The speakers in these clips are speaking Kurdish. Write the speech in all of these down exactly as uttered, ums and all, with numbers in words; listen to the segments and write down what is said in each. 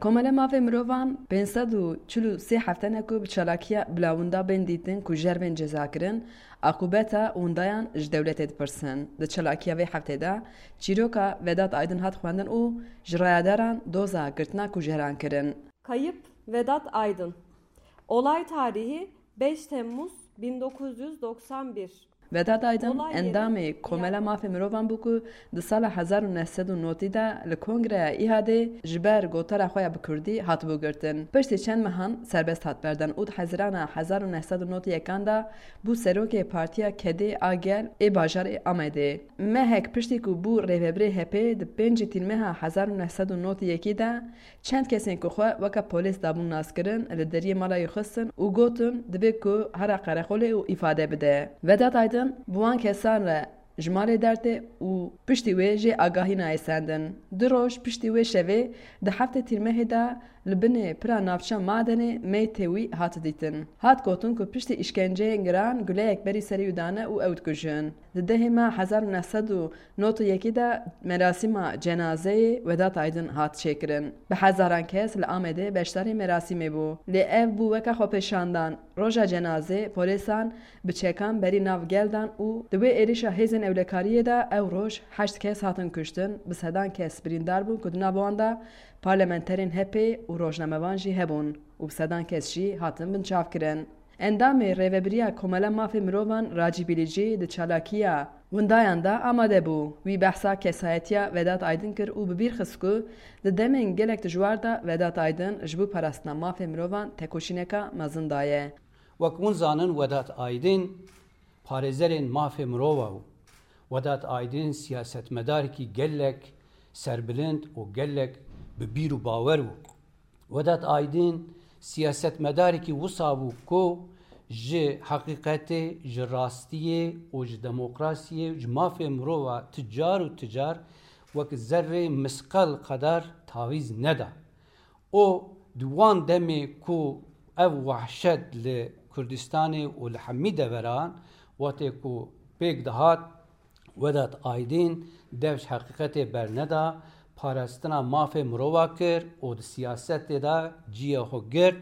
Komele Mafê Mirovan pênc sed û çil û sê hefte ne ku bi çalakiya bila winda bên dîtin ku jer bên cezakirin, aqûbeta windayan ji dewletê dipirsin. Di çalakiya vê heftê de çîroka Vedat Aydin hat xwendin û ji rayedaran doza girtina kujeran kirin. Kayıp Vedat Aydın. Olay tarihi beş Temmuz bin dokuz yüz doksan bir. Vedat Aydin Olay yeri endamê Komela Mafê Mirovan bû ku di sala hezar û neh sed û notî de li Kongreya Îhadê ji ber gotara xwe ya bi kurdî hatibû girtin. Piştî çend mehan serbest hat berdan û di Hezirana hezar û neh sed û notî yekan de bû serokê Partiya Kedê a Gel ê bajarê Amedê. Mehek piştî ku bû rêvebirê H P, di pêncî Tîrmeha hezar û neh sed û notî yekî de çend kesên ku xwe weke polês dabûn naskirin, li deriyê mala wî xistin û gotin, divê ku here qereqolê û îfade bide. Vedat Aydin bi wan kesan re ji malê dertê û piştî wê jê agahî nayê sendin. Du roj piştî wê şevê, di heftê Tîrmehê de li binê pira navça Madenê meytê wî hat dîtin. Hat gotin ku piştî îşkenceyên giran guleyek berî serê wî dane û ew dikujin. Di dehê me hezar û neh sed û nod û yekî de merasîma cenazeyê Vedat Aydin hat çêkirin. Bi hezaran kes li Amedê beşdarî merasîmê bû. Lê ev bû weke xwepêşandan. Roja cenazê polêsan bi çekan berî nav gel dan û di wê êrişa hêzên ewlekariyê de ew roj heşt kes hatin kuştin, bi sedan kes birîndar bûn ku di nav wan de parlamenterên H P û rojnamevan jî hebûn û bi sedan kes jî hatin binçavkirin. Endamê Rêvebiriya Komela Mafê Mirovan Racî Bilîcî di çalakiya windayan de amade bû. Wî behsa kesayetiya Vedat Aydin kir û bi bîr xist ku di demên gelek dijwar de Vedat Aydin ji bo parastina mafê mirovan tekoşîneka mezin daye. Wek hûn zanin, Vedat Aydin parêzerên mafê mirova bû. Vedat Aydin siyasetmedarekî gelek serbilind û gelek bi bîr û bawer bû. Vedat Aydin siyasetmedarekî wisa bû ku ji heqîqetê, ji rastiyê û ji demokrasiyê, ji mafê mirova ti car û ti car wek zerrê misqal qedar tavîz neda. Û di wan demê ku ev wehşet li Kurdistanê û li hemî deveran, wextê ku pêk dihat, Vedat Aydin dev ji heqîqetê berneda, parastina mafê mirova kir û di siyasetê de cihê xwe girt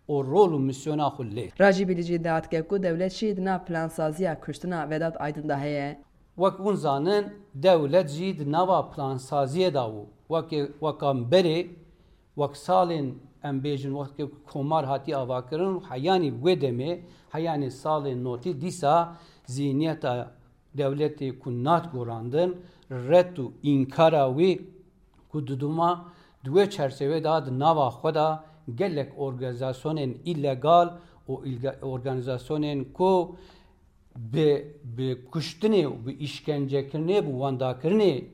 û rol û misyona xwe lê. Racî Bilîcî dihat ke ku dewlet jî di nav plansaziya kuştina Vedat Aydin de heye. Wek hûn zanin, dewlet jî di nava plansaziyê de bû. Wekê, weka berê, wek salên, em bêjin, wextê ku komar hatiye avakirin û heyanî wê demê, heyanî salên notî dîsa zîhniyeta dewletê ku nat gorandin, red û înkara wî ku didûma di wê çerçevê de di nava xwe de gelek organîzasyonên îlegal û îlge-, organîzasyonên ku bi, bi kuştinê û bi îşkencekirinê, bi wendakirinê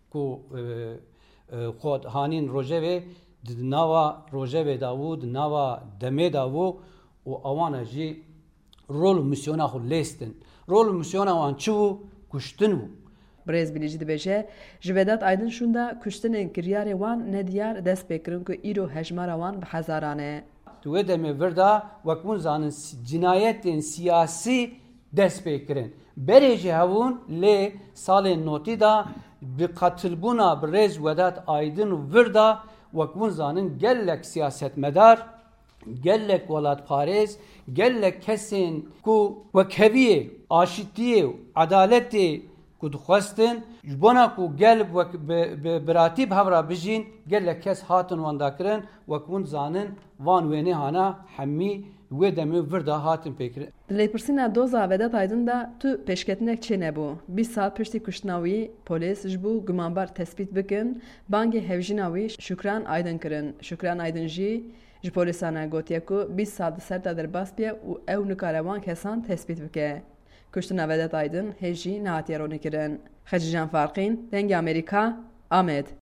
ku, e, e, xwe hanîn rojevê, di nava rojevê de bû, di nava demê de bû û awana jî rol û misyona xwe lêstin. Rol û misyona wan çi bû? Kuştin bû. Birêz Bilîcî dibêje, ji Vedat Aydin şûnda kuştinên kiryarê wan nediyar dest pê kirin ku îro hejmara wan bi hezaran e. Di wê demê vir de, wek hûn zanin, si-, cinayetên siyasî dest pê kirin. Berê jî hebûn, lê salên notî de bi qatilbûna birêz Vedat Aydin û vir de, wek hûn zanin, gelek siyasetmedar, gelek welatparêz, gelek kesên ku wekheviyê, aşitiyê û edaletê ku dixwestin, ji bona ku gel wek bi, bi biratî bi hev re bijîn, gelek kes hatin wendakirin, wek hûn zanin, van wênehana hemî wê demê vir de hatin pêkirin. Di lêpirsîna doza Vedat Aydin de tu pêşketinek çênebû. Bîst sal piştî kuştina wî, polîs ji bo gumanbar tespît bikin, bangê hevjîna wî Şukran Aydin kirin. Şukran Aydin jî ji polîsan re gotiye ku bîst sal di ser de derbas bûye û ew nikare wan kesan tespît bike. Kuştina Vedat Aydin hê jî nehatiye ronîkirin. Xecîcan Farqîn, Dengê Amerîka, Amed.